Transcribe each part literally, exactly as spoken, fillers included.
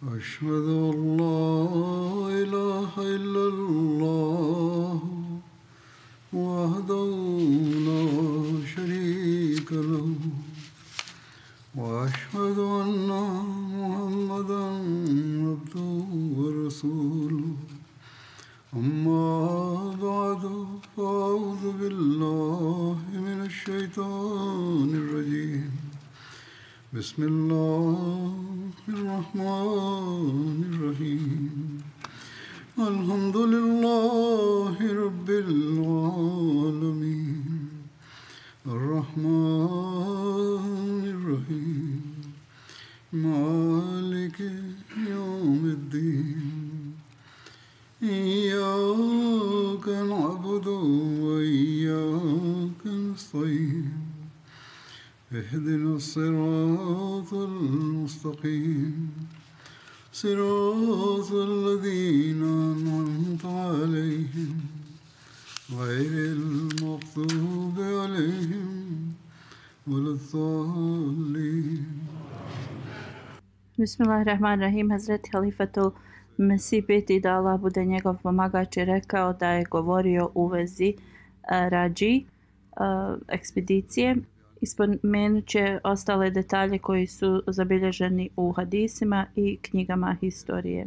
أشهد أن لا إله إلا الله وحده لا شريك له وأشهد أن محمدا عبده ورسوله أما بعد فأعوذ بالله من الشيطان الرجيم بسم الله الرحمن الرحيم الحمد لله رب العالمين الرحمن الرحيم مالك يوم الدين إياك نعبد وإياك نستعين اهدنا الصراط المستقيم صراط الذين أنعمت عليهم غير المغضوب عليهم ولا الضالين. Bismillahirrahmanirrahim. Hazreti Halifatul Mesih peti, da Allah bude njegov pomagač, je rekao da je govorio u vezi uh, rađi uh, ekspedicije. Ispomenut će ostale detalje koji su zabilježeni u hadisima i knjigama historije.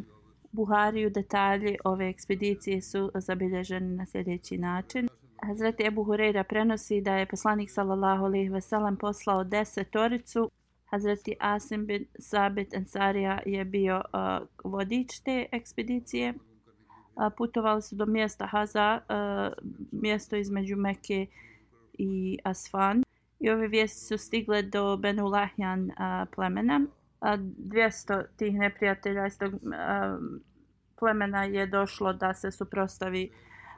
Buhariju detalji ove ekspedicije su zabilježeni na sljedeći način. Hazreti Ebu Hureyra prenosi da je poslanik sallallahu alejhi ve sellem poslao desetoricu. Hazreti Asim bin Sabit Ensarija je bio uh, vodič te ekspedicije. Uh, putovali su do mjesta Haza, uh, mjesto između Mekke i Asfan. I ove vijesti su stigle do Benu Lahjan a, plemena. A, dvjesto tih neprijatelja iz tog a, plemena je došlo da se suprotstavi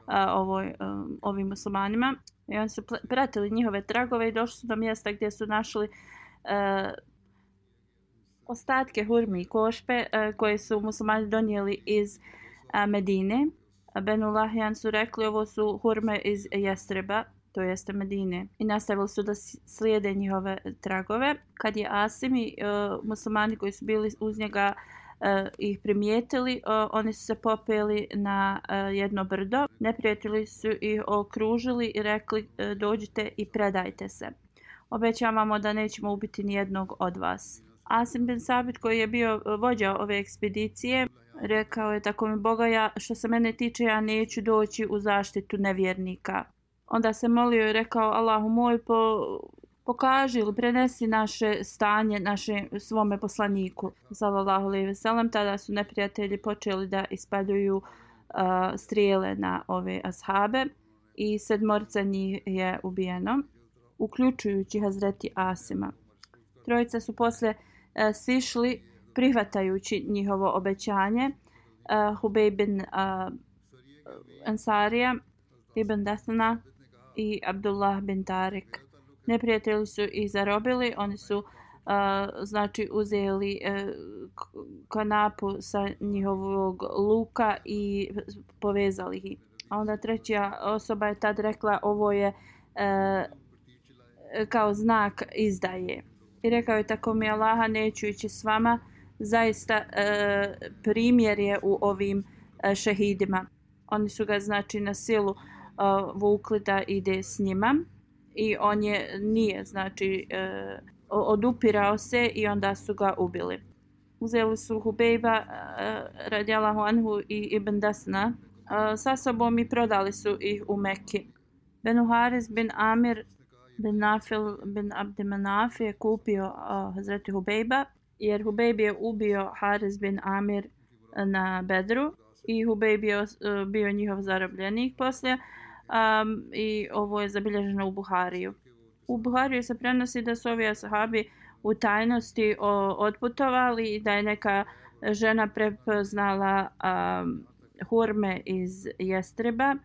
a, ovoj, a, ovim muslimanima. I oni su pratili njihove tragove i došli su do mjesta gdje su našli a, ostatke hurmi i košpe a, koje su muslimani donijeli iz a, Medine. A Benu Lahjan su rekli ovo su hurme iz Jestreba, to jeste Medine, i nastavili su da slijede njihove tragove. Kad je Asim i uh, muslimani koji su bili uz njega uh, ih primijetili, uh, oni su se popeli na uh, jedno brdo. Neprijatelji su ih okružili i rekli uh, dođite i predajte se. Obećavamo da nećemo ubiti ni jednog od vas. Asim bin Sabit, koji je bio vođa ove ekspedicije, rekao je tako mi Boga, ja, što se mene tiče, ja neću doći u zaštitu nevjernika. Onda se molio i rekao Allahu moj, po, pokaži ili prenesi naše stanje naše svome poslaniku sallallahu alejhi ve sellem. Tada su neprijatelji počeli da ispaljuju uh, strijele na ove ashabe i sedmorica njih je ubijeno, uključujući Hazreti Asima. Trojica su posle uh, sišli prihvatajući njihovo obećanje. Uh, Hubej bin uh, Ansarija, Ibn Dathna i Abdullah bin Tarik. Neprijatelji su ih zarobili, oni su uh, znači uzeli uh, kanapu sa njihovog luka i povezali ih. A onda treća osoba je tad rekla ovo je uh, kao znak izdaje. I rekao je tako mi Allaha, neću ići s vama, zaista uh, primjer je u ovim uh, šehidima. Oni su ga znači na silu uh, vukli da ide s njima i on je nije znači uh, odupirao se i onda su ga ubili. Uzeli su Hubejba uh, radijallahu anhu i Ibn Dasna uh, sa sobom i prodali su ih u Mekki. Benu Haris bin Amir bin Nafil bin Abdimanaf je kupio uh, Hazreti Hubejba, jer Hubejb je ubio Haris bin Amir na Bedru i Hubejb je uh, bio njihov zarobljenik poslije um, i ovo je zabilježeno u Buhariju. U Buhariju se prenosi da su ovi ashabi u tajnosti o, otputovali i da je neka žena prepoznala um, hurme iz Jestreba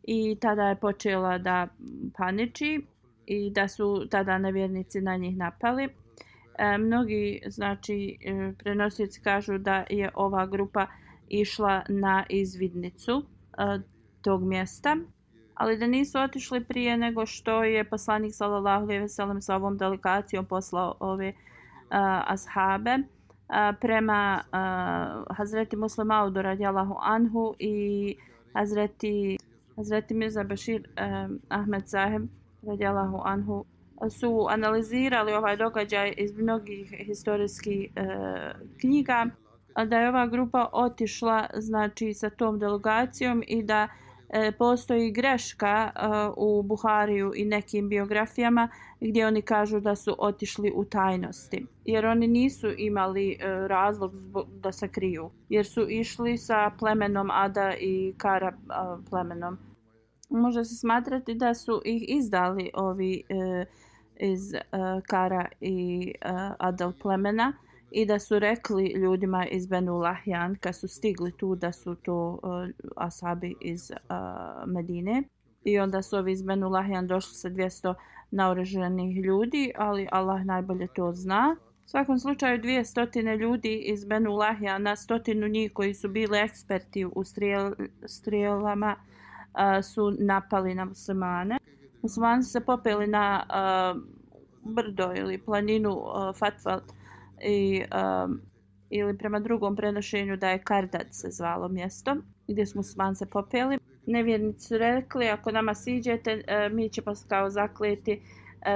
i tada je počela da paniči i da su tada nevjernici na njih napali. E, mnogi znači prenosioci kažu da je ova grupa išla na izvidnicu e, tog mjesta, ali da nisu otišli prije nego što je poslanik sallallahu alejhi ve sellem sa ovom delegacijom poslao ove uh, ashabe prema uh, Hazreti Muslim Audu radijallahu anhu i Hazreti, Hazreti Mirza Bashir um, Ahmed Saheb radijallahu anhu su analizirali ovaj događaj iz mnogih historijskih uh, knjiga, da je ova grupa otišla znači sa tom delegacijom i da e, postoji greška e, u Buhariju i nekim biografijama gdje oni kažu da su otišli u tajnosti, jer oni nisu imali e, razlog zbog, da se kriju, jer su išli sa plemenom Ada i Kara e, plemenom. Može se smatrati da su ih izdali ovi e, iz e, Kara i e, Adal plemena i da su rekli ljudima iz Benu Lahjan kad su stigli tu da su to uh, ashabi iz uh, Medine, i onda su ovi iz Benu Lahjan došli sa dvjesto naoružanih ljudi, ali Allah najbolje to zna. U svakom slučaju dvjesto ljudi iz Benu Lahjana, stotinu njih koji su bili eksperti u strijel, strijelama uh, su napali na muslimane. Muslimani su se popeli na uh, brdo ili planinu uh, Fatval i um, ili prema drugom prenošenju da je Kardad se zvalo mjesto gdje smo muslimani se popeli. Nevjernici su rekli, ako nama siđete, mi ćemo kao zakleti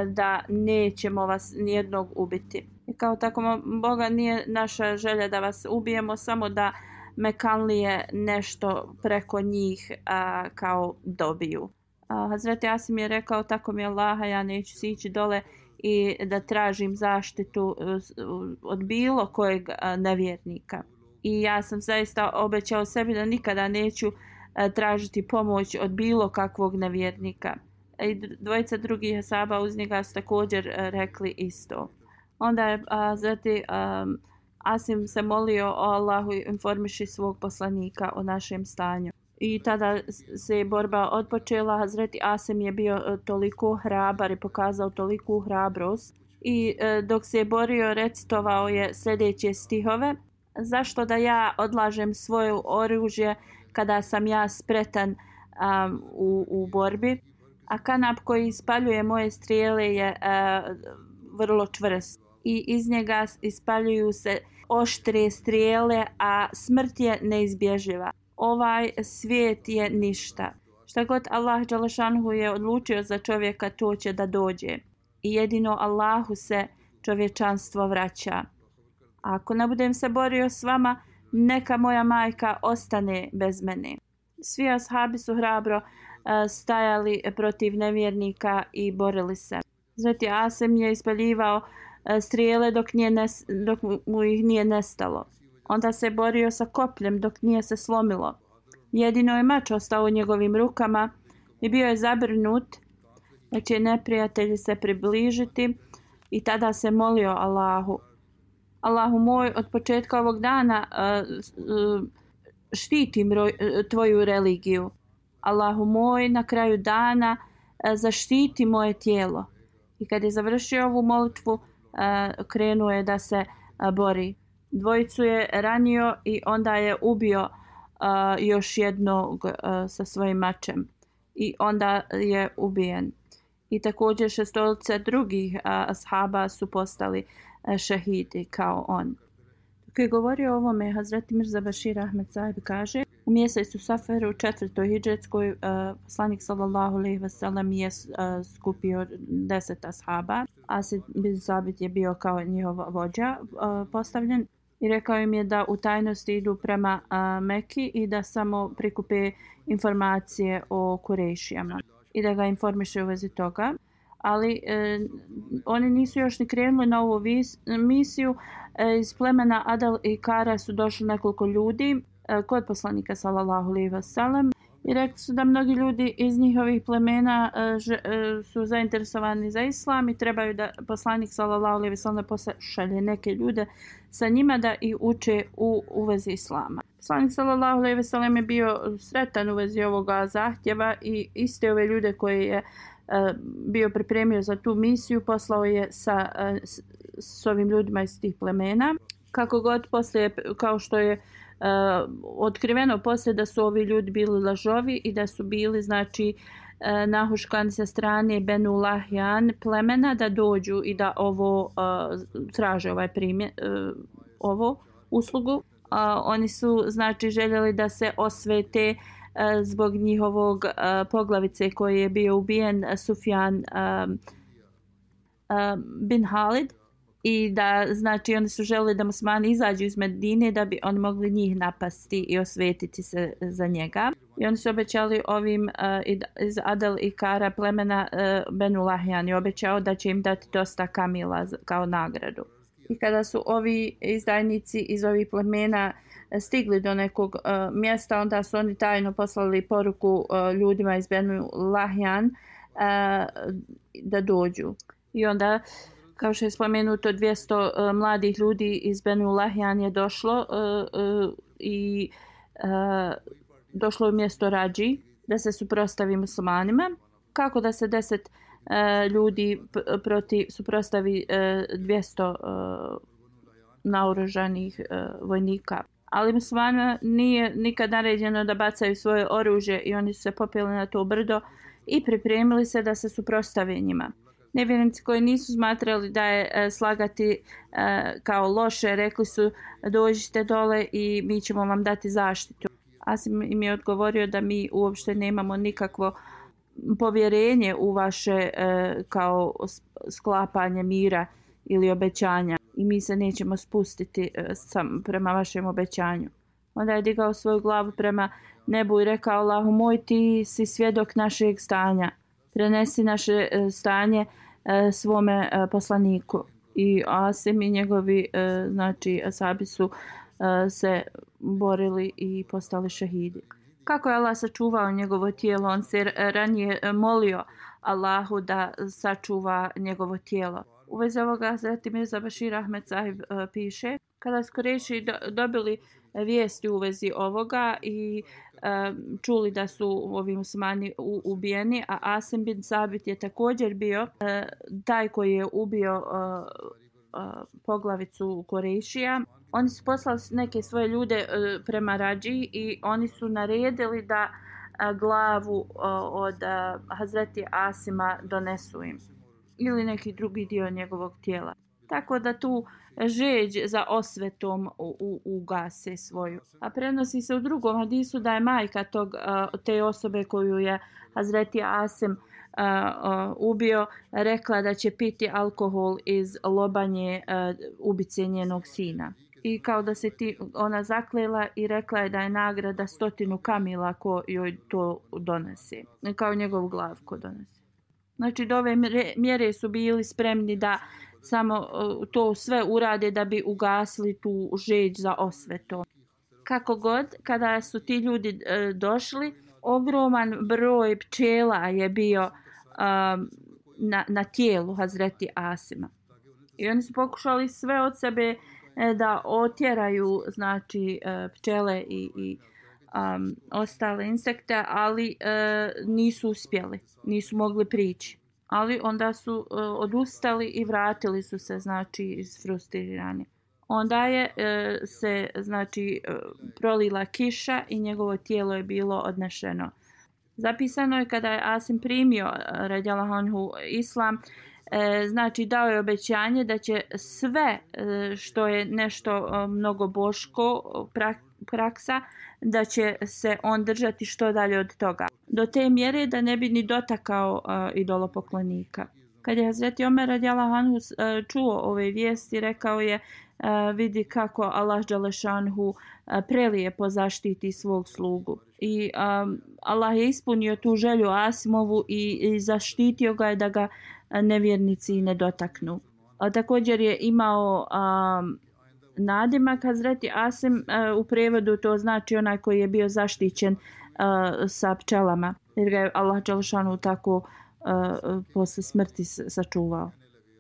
da nećemo vas nijednog ubiti. I kao tako, Boga, nije naša želja da vas ubijemo, samo da Mekanlije nešto preko njih a, kao dobiju. A, Hazreti Asim je rekao, tako mi Allaha, ja neću sići dole i da tražim zaštitu od bilo kojeg nevjernika. I ja sam zaista obećao sebi da nikada neću tražiti pomoć od bilo kakvog nevjernika. I dvojica drugih asaba uz njega su također rekli isto. Onda je zati um, Asim se molio o Allahu informiši svog poslanika o našem stanju. I tada se je borba odpočela. Hazreti Asim je bio toliko hrabar i pokazao toliku hrabrost. I e, dok se je borio, recitovao je sljedeće stihove. Zašto da ja odlažem svoje oružje kada sam ja spretan um, u, u borbi? A kanap koji ispaljuje moje strijele je uh, vrlo čvrst. I iz njega ispaljuju se oštre strijele, a smrt je neizbježiva. Ovaj svijet je ništa. Šta god Allah dželešanhu je odlučio za čovjeka, to će da dođe. I jedino Allahu se čovječanstvo vraća. A ako ne budem se borio s vama, neka moja majka ostane bez mene. Svi ashabi su hrabro uh, stajali protiv nevjernika i borili se. Zati Asem je ispaljivao uh, strijele dok, nije nes, dok mu ih nije nestalo. Onda se borio sa kopljem dok nije se slomilo. Jedino je mač ostao u njegovim rukama i bio je zabrinut da će neprijatelji se približiti, i tada se molio Allahu. Allahu moj, od početka ovog dana uh, uh, štitim roj, uh, tvoju religiju. Allahu moj, na kraju dana uh, zaštiti moje tijelo. I kad je završio ovu molitvu, uh, krenuo je da se uh, bori. Dvojicu je ranio i onda je ubio uh, još jednog uh, sa svojim mačem. I onda je ubijen. I također šestolica drugih uh, ashaba su postali uh, šehidi kao on. Dok je govorio o ovome, Hazreti Mirza Bashir Ahmed Saheb kaže, u mjesecu Saferu, četvrtoj hidžetskoj, uh, poslanik sallallahu alejhi ve sellem je uh, skupio deset ashaba. Asid bin Sabit je bio kao njihov vođa uh, postavljen. I rekao im je da u tajnosti idu prema uh, Meki i da samo prikupe informacije o Kurešijama i da ga informiše u vezi toga. Ali e, oni nisu još ni krenuli na ovu vis, misiju. E, iz plemena Adal i Kara su došli nekoliko ljudi e, kod poslanika sallallahu alejhi ve sellem i rekli su da mnogi ljudi iz njihovih plemena e, ž, e, su zainteresovani za islam i trebaju da poslanik sallallahu alejhi ve sellem pošalje neke ljude sa njima da ih uče u, u vezi islama. Poslanik sallallahu alejhi ve sellem je bio sretan u vezi ovoga zahtjeva i iste ove ljude koje je bio pripremio za tu misiju, poslao je sa s, s ovim ljudima iz tih plemena. Kako god poslije, kao što je uh, otkriveno poslije da su ovi ljudi bili lažovi i da su bili znači uh, nahuškani sa strane Benu Lahjan plemena da dođu i da ovo uh, traže ovaj primjer, uh, ovo uslugu. A, oni su znači željeli da se osvete a, zbog njihovog a, poglavice koji je bio ubijen, Sufjan a, a, bin Halid, i da znači oni su želeli da muslimani izađu iz Medine da bi oni mogli njih napasti i osvetiti se za njega. I oni su obećali ovim uh, iz Adel i Kara plemena uh, Benu Lahjan i obećao da će im dati dosta kamila kao nagradu. I kada su ovi izdajnici iz ovih plemena stigli do nekog uh, mjesta, onda su oni tajno poslali poruku uh, ljudima iz Benu Lahjan uh, da dođu. I onda, kao što je spomenuto, dvjesto uh, mladih ljudi iz Benu Lahjan je došlo uh, uh, i uh, došlo u mjesto Rađi da se suprotstavi muslimanima. Kako da se deset uh, ljudi p- proti suprotstavi uh, dvjesto uh, naoružanih uh, vojnika. Ali muslimanima nije nikad naređeno da bacaju svoje oružje i oni su se popeli na to brdo i pripremili se da se suprotstave njima. Nevjernici koji nisu smatrali da je e, slagati e, kao loše, rekli su dođite dole i mi ćemo vam dati zaštitu. Asim im je odgovorio da mi uopšte nemamo nikakvo povjerenje u vaše e, kao sklapanje mira ili obećanja i mi se nećemo spustiti e, sam, prema vašem obećanju. Onda je digao svoju glavu prema nebu i rekao: Allahu moj, ti si svjedok našeg stanja. Prenesi naše e, stanje e, svome e, poslaniku. I Asim i njegovi e, znači asabi su e, se borili i postali šehidi. Kako je Allah sačuvao njegovo tijelo? On se ranije molio Allahu da sačuva njegovo tijelo. U vezi ovoga Hazreti Mirza Bashir Ahmed Sahib e, piše: kada su Kureši do, dobili vijesti u vezi ovoga i e, čuli da su ovi muslimani u, ubijeni, a Asim bin Sabit je također bio e, taj koji je ubio e, e, poglavicu Kurešija, oni su poslali neke svoje ljude e, prema Rađi i oni su naredili da e, glavu e, od e, Hazreti Asima donesu im ili neki drugi dio njegovog tijela. Tako da tu žeđ za osvetom u, u, ugase svoju. A prenosi se u drugom hadisu da je majka tog, te osobe koju je Hazreti Asim uh, uh, ubio rekla da će piti alkohol iz lobanje uh, ubice njenog sina. I kao da se ti, ona zaklela i rekla je da je nagrada stotinu kamila ko joj to donese. Kao njegovu glavu ko donese. Znači do ove mjere su bili spremni da samo to sve urade da bi ugasili tu žeđ za osvetom. Kako god, kada su ti ljudi e, došli, ogroman broj pčela je bio um, na, na tijelu Hazreti Asima. I oni su pokušali sve od sebe e, da otjeraju znači e, pčele i, i um, ostale insekte, ali e, nisu uspjeli, nisu mogli prići. Ali onda su uh, odustali i vratili su se, znači, isfrustrirani. Onda je uh, se, znači, uh, prolila kiša i njegovo tijelo je bilo odnešeno. Zapisano je kada je Asim primio uh, radijallahu anhu islam, uh, znači dao je obećanje da će sve uh, što je nešto uh, mnogo boško prak, praksa, da će se on držati što dalje od toga. Do te mjere da ne bi ni dotakao uh, idolopoklonika. Kad je Hazreti Omer radijallahu anhu uh, čuo ove vijesti, rekao je uh, vidi kako Allah dželešanhu uh, prelijepo zaštiti svog slugu. I um, Allah je ispunio tu želju Asimovu i, i zaštitio ga je da ga uh, nevjernici ne dotaknu. A također je imao um, nadimak Hazreti Asim, uh, u prevodu to znači onaj koji je bio zaštićen uh, sa pčelama, jer ga je Allah dželešanu tako uh, posle smrti sačuvao.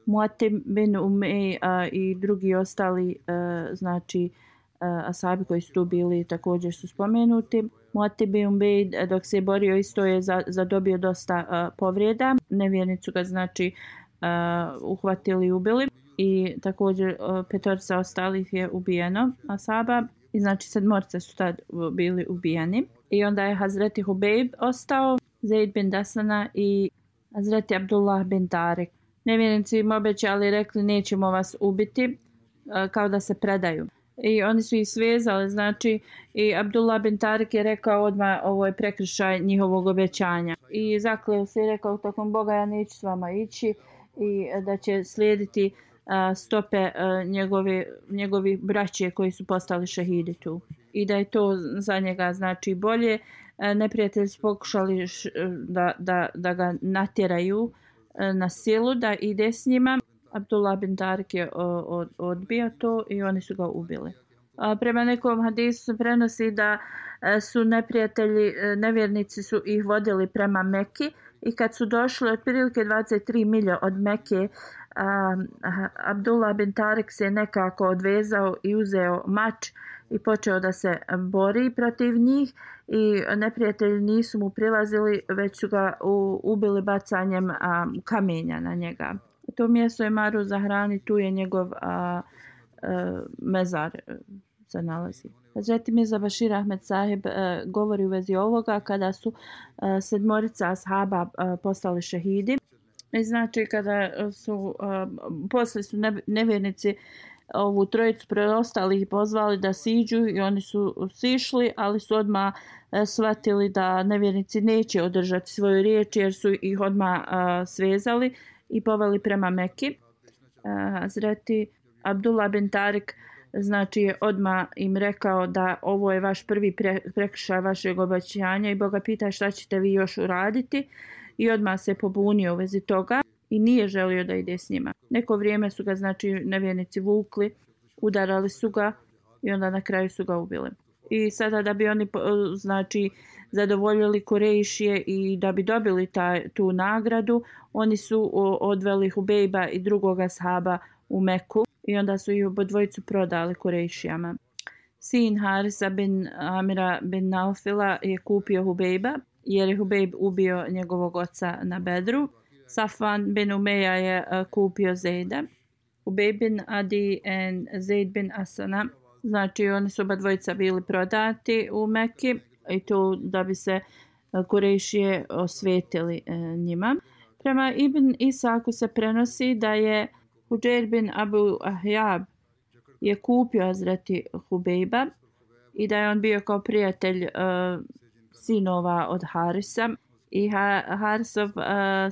Muatim bin Umej uh, i drugi ostali uh, znači uh, asabi koji su tu bili također su spomenuti. Muatim bin Umej dok se je borio isto je za, zadobio dosta uh, povrijeda. Nevjernicu ga znači uh, uhvatili i ubili. I također uh, petorica ostalih je ubijeno asaba i znači sedmorca su tad bili ubijeni. I onda je Hazreti Hubejb ostao, Zaid bin Dasana i Hazreti Abdullah bin Tarek. Nevjernici im obećali, rekli nećemo vas ubiti kao da se predaju. I oni su ih svezali, znači i Abdullah bin Tarik je rekao odmah ovo je prekršaj njihovog obećanja. I zakleo se i rekao tokom Boga ja neću s vama ići i da će slijediti a, stope a, njegovi, njegovi braće koji su postali šehidi tu. I da je to za njega znači bolje. A, neprijatelji su pokušali š, da, da, da ga natjeraju a, na silu da ide s njima. Abdullah bin Tarik je odbio to i oni su ga ubili. A prema nekom hadisu se prenosi da su neprijatelji, nevjernici su ih vodili prema Meki i kad su došli otprilike dvadeset tri milje od Meke, a, Abdullah bin Tarik se nekako odvezao i uzeo mač i počeo da se bori protiv njih i neprijatelji nisu mu prilazili, već su ga u, ubili bacanjem a, kamenja na njega. To mjesto je Maru Zahrani, tu je njegov a, a, mezar se nalazi. Hazreti Mirza Bashir Ahmed Sahib a, govori u vezi ovoga kada su a, sedmorica ashaba a, postali šehidi. I znači kada su a, posle su ne, nevjernici ovu trojicu preostalih pozvali da siđu i oni su sišli, ali su odmah a, shvatili da nevjernici neće održati svoju riječ jer su ih odmah a, svezali i poveli prema Meki. Hazreti Abdullah bin Tarik znači je odmah im rekao da ovo je vaš prvi pre, prekršaj vašeg obećanja i Boga pita šta ćete vi još uraditi i odmah se pobunio u vezi toga i nije želio da ide s njima. Neko vrijeme su ga znači nevjernici vukli, udarali su ga i onda na kraju su ga ubili. I sada da bi oni znači zadovoljili Kurejšije i da bi dobili taj, tu nagradu, oni su odveli Hubejba i drugog ashaba u Meku i onda su ih obodvojicu prodali Kurejšijama. Sin Harisa bin Amira bin Naufila je kupio Hubejba jer je Hubejb ubio njegovog oca na Bedru. Safvan bin Umeja je kupio Zejda. Hubejb bin Adi i Zejd bin Asana. Znači oni su oba dvojica bili prodati u Meki i to da bi se Kurejšije osvetili njima. Prema Ibn Isaku se prenosi da je Huđer bin Abu Ahjab je kupio Hazreti Hubejba i da je on bio kao prijatelj uh, sinova od Harisa i ha, Harisov uh,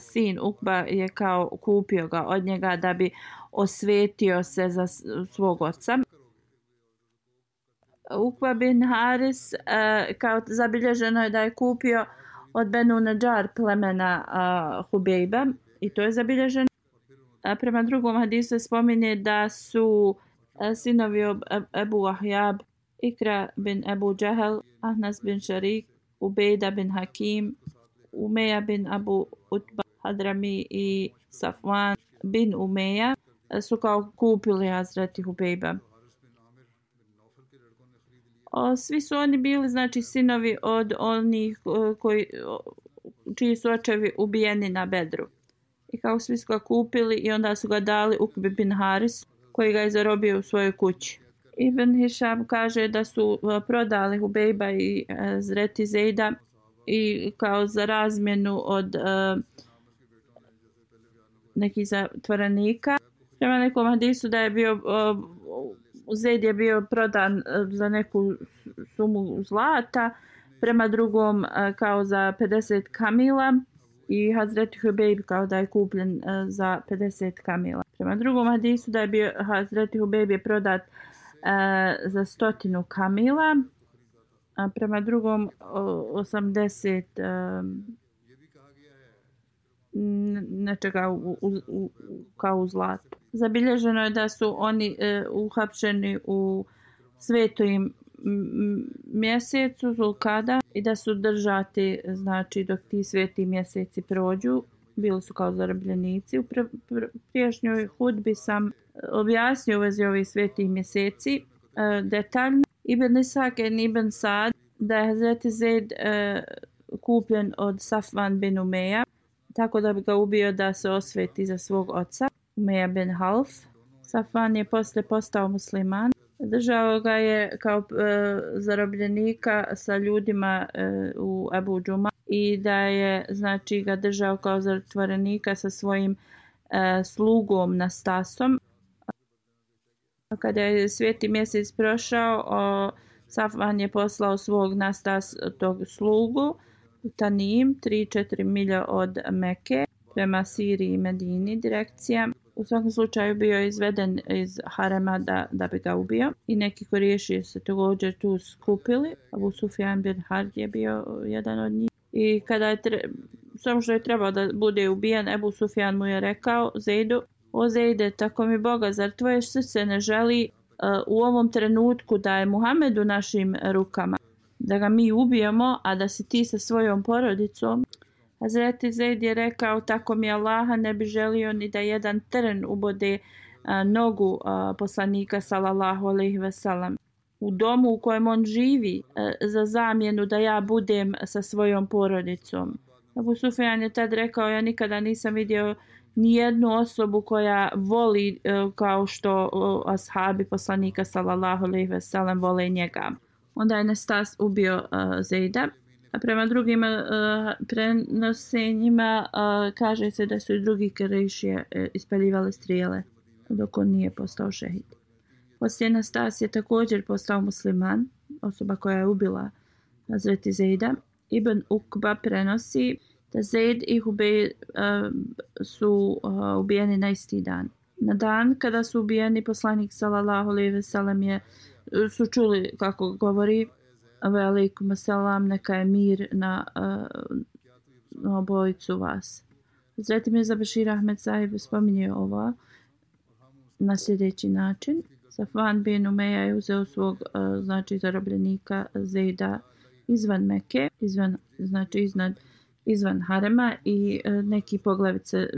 sin Ukba je kao kupio ga od njega da bi osvetio se za svog oca. Ukba bin Haris uh, kao zabilježeno je da je kupio od Benu Nadžar plemena uh, Hubejba i to je zabilježeno. A prema drugom hadisu se spominje da su uh, sinovi Ebu Ahjab, Ikra bin Ebu Džehel, Ahnas bin Šarik, Ubejda bin Hakim, Umeja bin Abu Utba Hadrami i Safvan bin Umeja uh, su kao kupili Hazreti Hubejba. O, svi su oni bili znači sinovi od onih koji, čiji su očevi ubijeni na Bedru. I kao svi su ga kupili i onda su ga dali Ukbi bin Haris koji ga je zarobio u svojoj kući. Ibn Hišam kaže da su prodali Hubejba i Hazreti Zejda i kao za razmjenu od uh, nekih zatvorenika. Prema nekom hadisu da je bio uh, Zejd je bio prodan za neku sumu zlata, prema drugom kao za pedeset kamila i Hazreti Hubejb kao da je kupljen za pedeset kamila. Prema drugom hadisu da je bio Hazreti Hubejb je prodat uh, za stotinu kamila, a prema drugom osamdeset um, nečega u, u, u, kao u zlatu. Zabilježeno je da su oni e, uhapšeni u svetom mjesecu Zulkada i da su držati znači dok ti sveti mjeseci prođu. Bili su kao zarobljenici. U pr pr prijašnjoj hudbi sam objasnio u vezi ovih svetih mjeseci e, detaljno. Ibn Isak i Ibn Sad da je Hazreti Zejd e, kupljen od Safvan bin Umeja tako da bi ga ubio da se osveti za svog oca, Umeja bin Half. Safvan je posle postao musliman. Držao ga je kao e, zarobljenika sa ljudima e, u Ebu Džuma i da je znači ga držao kao zatvorenika sa svojim e, slugom Nastasom. Kada je sveti mjesec prošao, o, Safvan je poslao svog nastas tog slugu Tanim, tri do četiri milja od Mekke, prema Siriji i Medini direkcija. U svakom slučaju bio je izveden iz harema da, da bi ga ubio i neki Kuriši se također tu skupili. Abu Sufjan bin Harb je bio jedan od njih. I kada je tre... samo što je trebao da bude ubijen, Abu Sufjan mu je rekao Zejdu: o Zejde, tako mi Boga, zar tvoje srce ne želi uh, u ovom trenutku da je Muhammed u našim rukama, da ga mi ubijemo, a da si ti sa svojom porodicom? Hazreti Zejd je rekao: tako mi Allaha, ne bi želio ni da jedan trn ubode a, nogu a, poslanika sallallahu alejhi ve sellem u domu u kojem on živi, a, za zamjenu da ja budem sa svojom porodicom. Abu Sufjan je tad rekao: ja nikada nisam vidio ni jednu osobu koja voli a, kao što a, ashabi poslanika sallallahu alejhi ve sellem vole njega. Onda je Nestas ubio a, Zejda. A prema drugim uh, prenosenjima uh, kaže se da su i drugi Kurejšije uh, ispaljivali strijele dok on nije postao šehid. Poslije Nestas je također postao musliman, osoba koja je ubila Hazreti Zejda. Ibn Ukba prenosi da Zejd i Hubej uh, su uh, ubijeni na isti dan. Na dan kada su ubijeni, poslanik sallallahu alejhi ve sellem je su čuli kako govori: Alejkum assalam, neka je mir na, uh, na obojicu vas. Hazreti Mirza Bešir Ahmed Sahib spominje ovo na sljedeći način: Safvan bin Umeja je uzeo svog uh, znači zarobljenika Zejda izvan Mekke, izvan, znači iznad, izvan harema, i uh, neki poglavice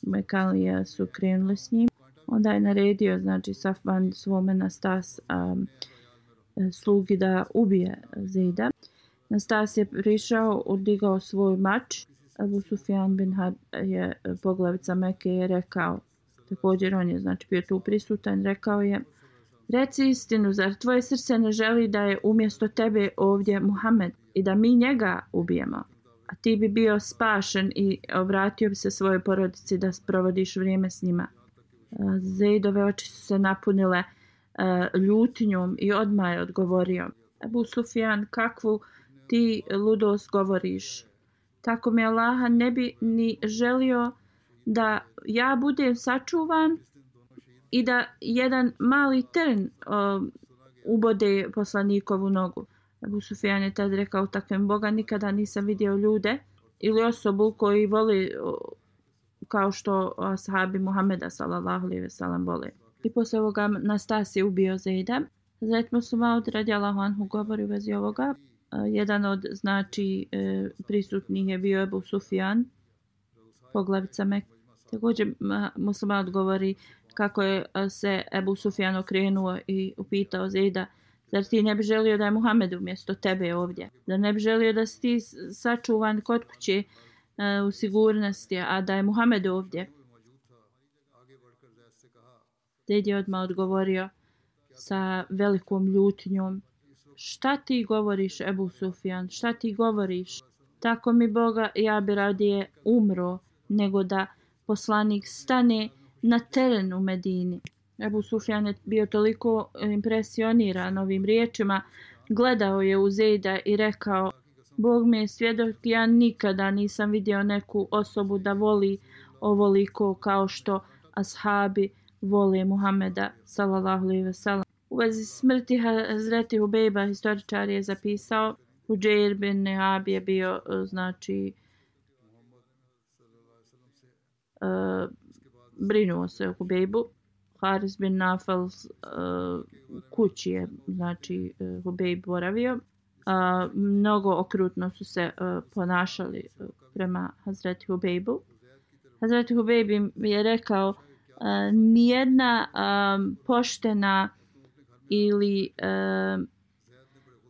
Mekalija su krenuli s njim. Onda je naredio, znači, Safvan svome Nastas um, slugi da ubije Zejda. Nastas je prišao, odigao svoj mač. Abu Sufjan bin Harb je poglavica Mekke je rekao, također on je znači bio tu prisutan, rekao je: reci istinu, zar tvoje srce ne želi da je umjesto tebe ovdje Muhammed i da mi njega ubijemo, a ti bi bio spašen i obratio bi se svojoj porodici da provodiš vrijeme s njima. Zejdove oči su se napunile uh, ljutnjom i odmah je odgovorio: Abu Sufjan, kakvu ti ludost govoriš? Tako mi Allaha, ne bi ni želio da ja budem sačuvan i da jedan mali trn uh, ubode poslanikovu nogu. Abu Sufjan je tad rekao: takvim Boga, nikada nisam vidio ljude ili osobu koji voli uh, kao što ashabi Muhameda sallallahu alejhi ve sellem vole. I posle ovoga Nastas je ubio Zejda. Hazret Muslimaud radijallahu anhu govori u vezi ovoga. Uh, jedan od znači uh, prisutnih je bio Abu Sufjan, poglavica Mekke. Također Muslimaud govori kako je uh, se Abu Sufjan okrenuo i upitao Zejda: zar ti ne bi želio da je Muhammed umjesto tebe ovdje? Da ne bi želio da si ti sačuvan kod kuće u sigurnosti, a da je Muhammed ovdje? Zejd je odmah odgovorio sa velikom ljutnjom: šta ti govoriš, Ebu Sufjan, šta ti govoriš? Tako mi Boga, ja bi radije umro nego da poslanik stane na teren u Medini. Ebu Sufjan je bio toliko impresioniran ovim riječima, gledao je u Zejda i rekao: Bog mi je svjedok, ja nikada nisam vidio neku osobu da voli ovoliko kao što ashabi vole Muhameda sallallahu alejhi ve sellem. U vezi smrti Hazreti Hubejba historičar je zapisao: Hudžejr bin Nehab je bio znači uh, brinuo se o Hubejbu. Haris bin Nafal uh, kući je znači uh, Hubejb boravio. Uh, mnogo okrutno su se uh, ponašali uh, prema Hazreti Hubejbu. Hazreti Hubejb je rekao: uh, nijedna um, poštena ili, uh,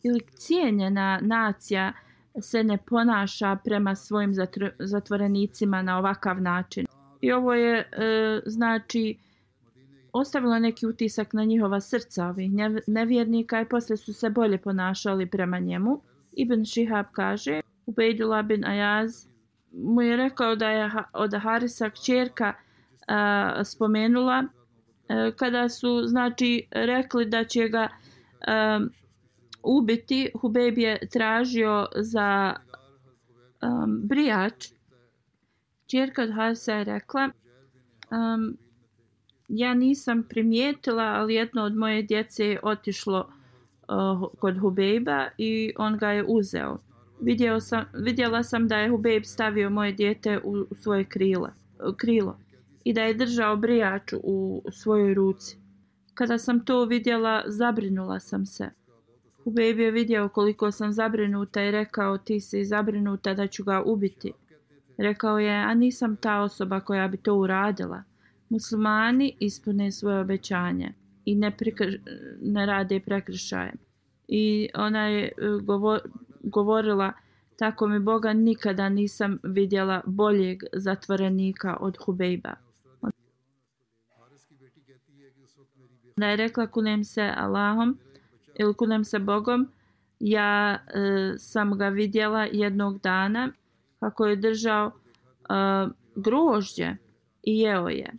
ili cijenjena nacija se ne ponaša prema svojim zatr- zatvorenicima na ovakav način. I ovo je uh, znači ostavilo neki utisak na njihova srca ovih nevjernika i poslije su se bolje ponašali prema njemu. Ibn Šihab kaže: Ubejdullah bin Ajaz mu je rekao da je od Harisa kćerka uh, spomenula Kada su znači rekli da će ga um, ubiti, Hubejb je tražio za um, brijač. Ćerka od Harisa je rekla, um, ja nisam primijetila, ali jedno od moje djece je otišlo uh, kod Hubejba i on ga je uzeo. Vidio sam, vidjela sam da je Hubejb stavio moje dijete u, u svoje krilo, krilo i da je držao brijač u svojoj ruci. Kada sam to vidjela, zabrinula sam se. Hubejb je vidio koliko sam zabrinuta i rekao, ti si zabrinuta da ću ga ubiti. Rekao je, a nisam ta osoba koja bi to uradila. Muslimani ispune svoje obećanje i ne, prikr- ne rade prekršaje. I ona je govor- govorila, tako mi Boga nikada nisam vidjela boljeg zatvorenika od Hubejba. Ona je rekla, kunem se Allahom ili kunem se Bogom, ja e, sam ga vidjela jednog dana kako je držao e, grožđe i jeo je.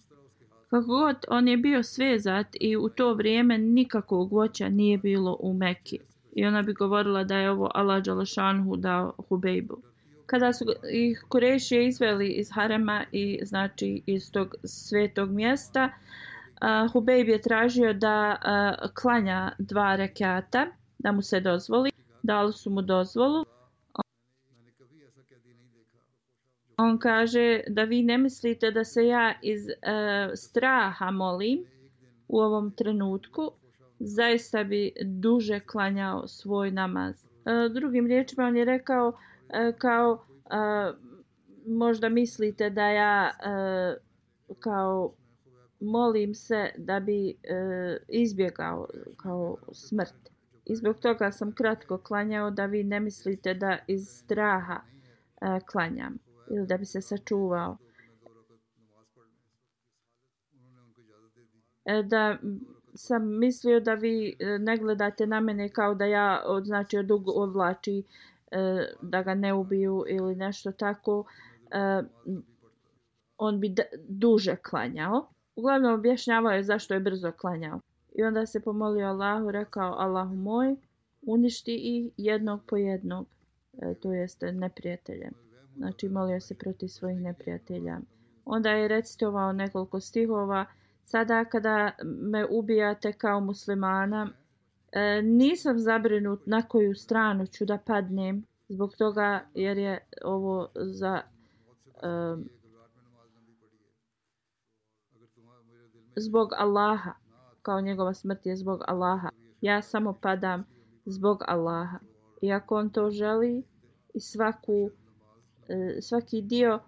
Kako god, on je bio svezat i u to vrijeme nikakvog voća nije bilo u Mekki. I ona bi govorila da je ovo Allah dželešanhu dao Hubejbu. Kada su ih Kurejšije izveli iz harema i znači iz tog svetog mjesta, uh, Hubejb je tražio da uh, klanja dva rekata, da mu se dozvoli. Dali su mu dozvolu. On kaže da vi ne mislite da se ja iz uh, straha molim u ovom trenutku, zaista bi duže klanjao svoj namaz. Uh, drugim riječima on je rekao uh, kao uh, možda mislite da ja uh, kao molim se da bi uh, izbjegao kao smrt. I zbog toga sam kratko klanjao da vi ne mislite da iz straha uh, klanjam ili da bi se sačuvao. Da sam mislio da vi ne gledate na mene kao da ja od, znači od odvlači da ga ne ubiju ili nešto tako. On bi d- duže klanjao. Uglavnom objašnjavao je zašto je brzo klanjao. I onda se pomolio Allahu, rekao, Allahu moj, uništi ih jednog po jednog, to jeste neprijateljem. Znači molio se protiv svojih neprijatelja. Onda je recitovao nekoliko stihova. Sada kada me ubijate kao muslimana, e, nisam zabrinut na koju stranu ću da padnem. Zbog toga jer je ovo za e, zbog Allaha. Kao njegova smrt je zbog Allaha. Ja samo padam zbog Allaha. I ako on to želi i svaku svaki dio uh,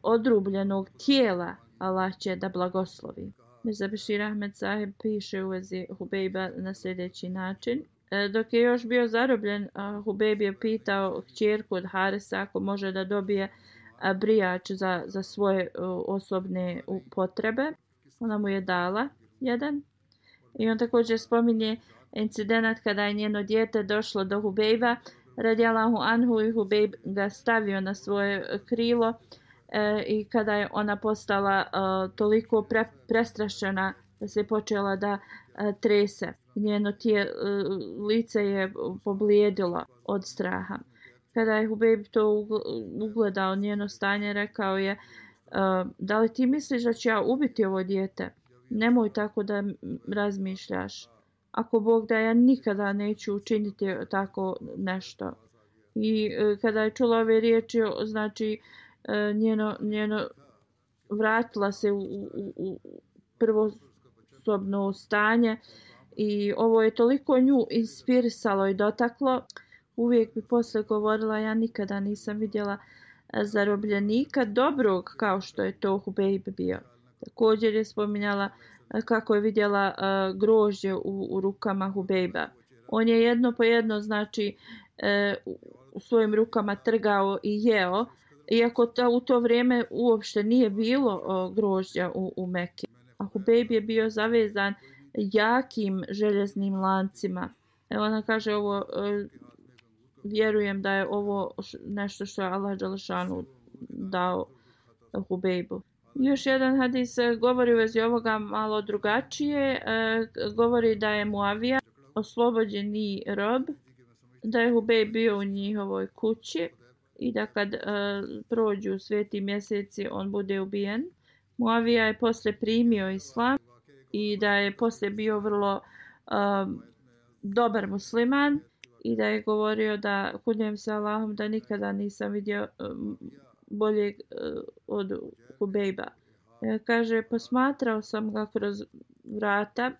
odrubljenog tijela Allah će da blagoslovi. Mirza Bešir Ahmed Saheb piše u vezi Hubejba na sljedeći način. E, dok je još bio zarobljen, uh, Hubejb je pitao kćerku od Harisa ako može da dobije uh, brijač za, za svoje uh, osobne uh, potrebe. Ona mu je dala jedan. I on također spominje incident kada je njeno dijete došlo do Hubejba radijallahu anhu i Hubejb ga stavio na svoje krilo e, i kada je ona postala e, toliko pre, prestrašena da se počela da e, trese. Njeno tije, e, lice je poblijedilo od straha. Kada je Hubejb to ugledao njeno stanje, rekao je e, da li ti misliš da ću ja ubiti ovo dijete? Nemoj tako da razmišljaš. Ako Bog da, ja nikada neću učiniti tako nešto. I e, kada je čula ove riječi, znači e, njeno, njeno vratila se u, u, u prvosobno stanje i ovo je toliko nju inspirisalo i dotaklo. Uvijek bi posle govorila, ja nikada nisam vidjela zarobljenika dobrog kao što je to Hubejb bio. Također je spominjala kako je vidjela uh, grožđe u, u rukama Hubejba. On je jedno po jedno, znači, uh, u svojim rukama trgao i jeo, iako ta, u to vrijeme uopšte nije bilo uh, grožđa u, u Mekki. A Hubejb je bio zavezan jakim željeznim lancima. Evo ona kaže ovo, uh, vjerujem da je ovo nešto što je Allah dželešanu dao Hubejbu. Još jedan hadis govori u vezi ovoga malo drugačije. Govori da je Muavija oslobođeni rob, da je Hubejb bio u njihovoj kući i da kad prođu sveti mjeseci on bude ubijen. Muavija je poslije primio islam i da je poslije bio vrlo um, dobar musliman i da je govorio da kunjem se Allahom da nikada nisam vidio um, boljeg uh, od Hubejba. E, kaže, posmatrao sam ga kroz vrata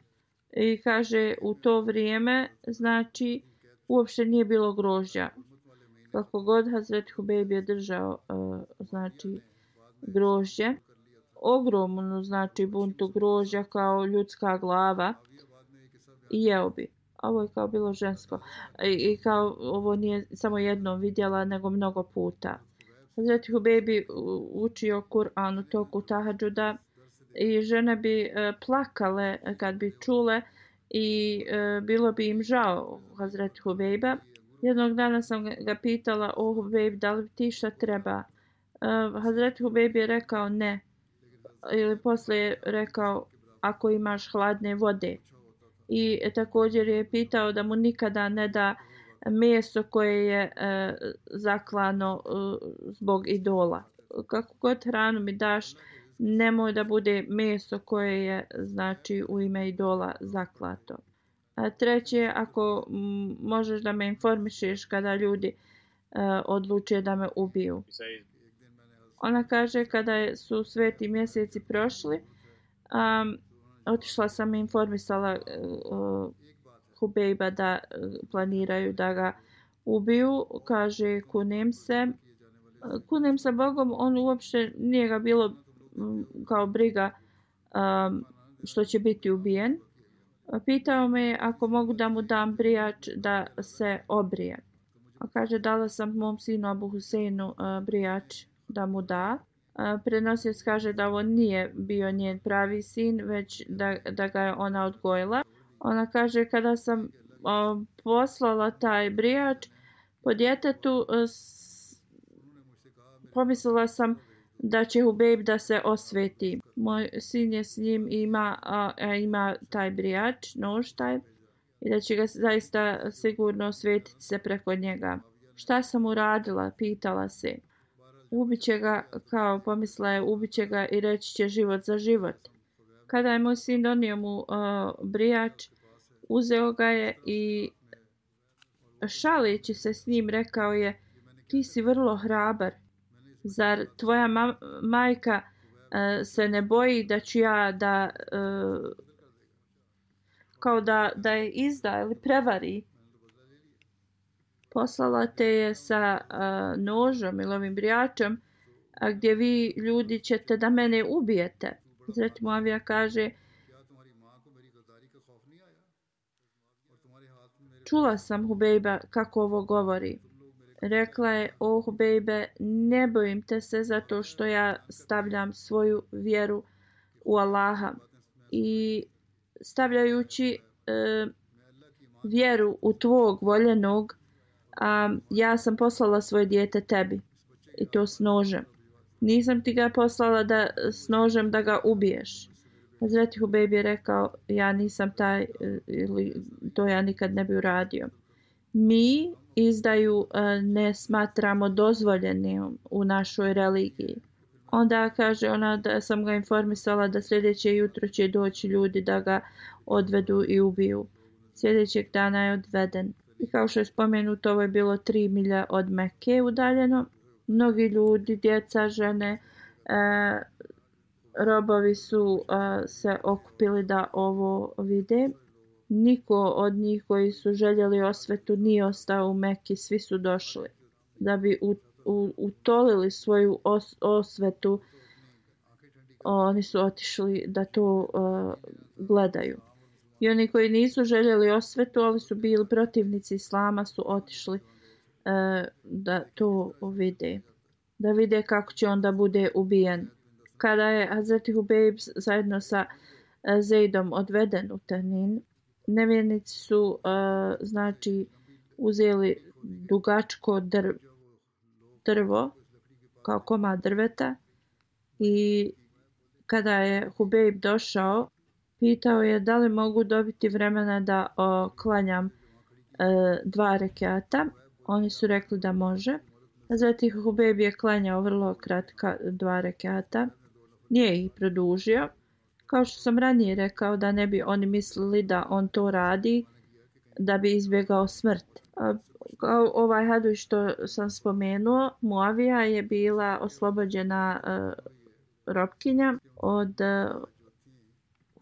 i kaže u to vrijeme znači uopšte nije bilo grožđa. Kako god Hazret Hubejb je držao uh, znači grožđe, ogromnu znači buntu grožđa kao ljudska glava i jeo bi. Ovo je kao bilo žensko. I, i kao ovo nije samo jednom vidjela nego mnogo puta. Hazret Hubejb bi učio Kur'an u toku tahadžuda i žene bi e, plakale kad bi čule i e, bilo bi im žao Hazret Hubejba. Jednog dana sam ga pitala, o Hubejb, da li ti šta treba? E, Hazret Hubejb je rekao ne. Ili poslije je rekao ako imaš hladne vode. I e, također je pitao da mu nikada ne da meso koje je e, zaklano e, zbog idola. Kako god hranu mi daš, nemoj da bude meso koje je znači u ime idola zaklato. A treće, ako m, možeš da me informišeš kada ljudi e, odluče da me ubiju. Ona kaže kada je, su sveti mjeseci prošli, um, otišla sam i informisala uh, Hubejba da uh, planiraju da ga ubiju. Kaže, kunem se. Kunem se Bogom, on uopšte nije ga bilo um, kao briga um, što će biti ubijen. Pitao me ako mogu da mu dam brijač da se obrije. A kaže, dala sam mom sinu Abu Huseinu uh, brijač da mu da. Uh, Prenosioc kaže da on nije bio njen pravi sin, već da, da ga je ona odgojila. Ona kaže, kada sam uh, poslala taj brijač po djetetu, uh, s... pomislila sam da će Hubejb da se osveti. Moj sin je s njim i ima, uh, ima taj brijač, nož taj, i da će ga zaista sigurno osvetiti se preko njega. Šta sam uradila? Pitala se. Ubiće ga, kao pomisla je, ubiće ga i reći će život za život. Kada je moj sin donio mu uh, brijač, uzeo ga je i šaleći se s njim rekao je, ti si vrlo hrabar. Zar tvoja ma- majka uh, se ne boji da ću ja da uh, kao da, da je izda ili prevari? Poslala te je sa uh, nožom ili ovim brijačem a gdje vi ljudi ćete da mene ubijete. Hazret Muavija kaže, čula sam Hubejba kako ovo govori. Rekla je, o Hubejbe, ne bojim te se zato što ja stavljam svoju vjeru u Allaha. I stavljajući uh, vjeru u tvog voljenog, a ja sam poslala svoje dijete tebi i to s nožem. Nisam ti ga poslala da s nožem da ga ubiješ. Hazreti Hubejb je rekao, ja nisam taj, ili to ja nikad ne bi uradio. Mi izdaju ne smatramo dozvoljenim u našoj religiji. Onda kaže ona da sam ga informisala da sljedeće jutro će doći ljudi da ga odvedu i ubiju. Sljedećeg dana je odveden. I kao što je spomenuto, ovo je bilo tri milje od Mekke udaljeno. Mnogi ljudi, djeca, žene, e, robovi su e, se okupili da ovo vide. Niko od njih koji su željeli osvetu nije ostao u Mekki, svi su došli da bi u, u, utolili svoju os, osvetu. Oni su otišli da to e, gledaju. I oni koji nisu željeli osvetu, ali su bili protivnici islama, su otišli e, da to vide. Da vide kako će onda bude ubijen. Kada je Hazreti Hubejb zajedno sa e, Zejdom odveden u Tanin, nevjernici su e, znači uzeli dugačko drv, drvo kao komad drveta i kada je Hubejb došao, pitao je da li mogu dobiti vremena da o, klanjam e, dva rekata. Oni su rekli da može. Zatim Hubejb je klanjao vrlo kratka dva rekata. Nije ih produžio. Kao što sam ranije rekao, da ne bi oni mislili da on to radi da bi izbjegao smrt. Kao ovaj hadis što sam spomenuo, Muavija je bila oslobođena uh, robkinja od uh,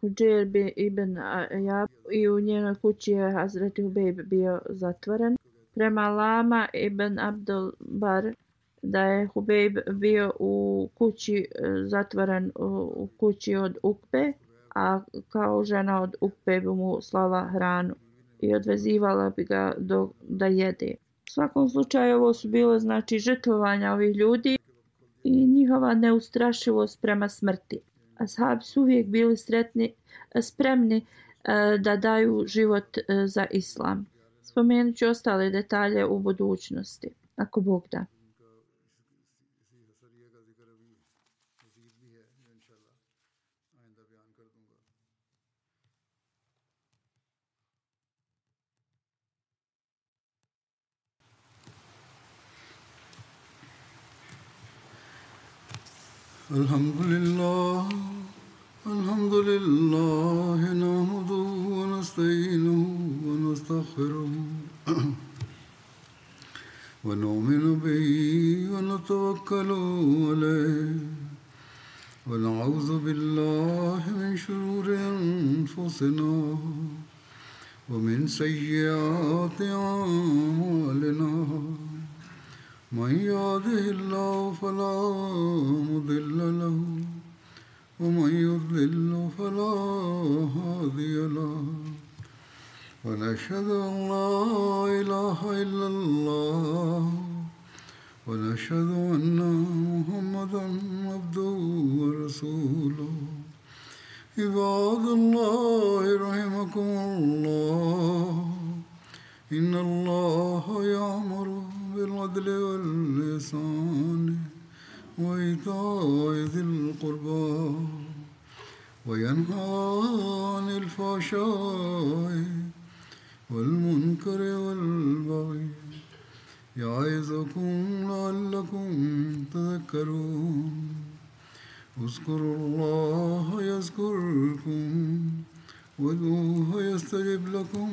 Hudžer ibn Ajab i u njenoj kući je Hazreti Hubejb bio zatvoren. Prema Lama ibn Abdul Bar da je Hubejb bio u kući zatvoren u, u kući od Ukbe, a kao žena od Ukbe bi mu slala hranu i odvezivala bi ga do, da jede. U svakom slučaju ovo su bile znači žrtvovanja ovih ljudi i njihova neustrašivost prema smrti. Ashabi su uvijek bili sretni, spremni e, da daju život e, za islam. Spomenut ću ostale detalje u budućnosti, ako Bog da. Alhamdulillah, alhamdulillah, nahmaduhu wa nasta'inuhu wa nastaghfiruhu wa nu'minu bihi wa natawakkalu alayhi wa na'udhu billahi min shururi anfusina wa min sayyiati a'malina. من يهده الله فلا مضل له ومن يضلل فلا هادي له ونشهد أن لا إله إلا الله ونشهد أن محمدا عبده ورسوله عباد الله رحمكم الله إن الله يأمر بالعدل والإحسان وإيتاء ذي القربى وينهى عن الفحشاء والمنكر والبغي يعظكم لعلكم تذكرون اذكروا الله يذكركم وادعوه يستجب لكم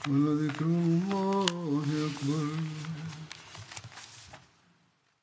ولذكر الله أكبر.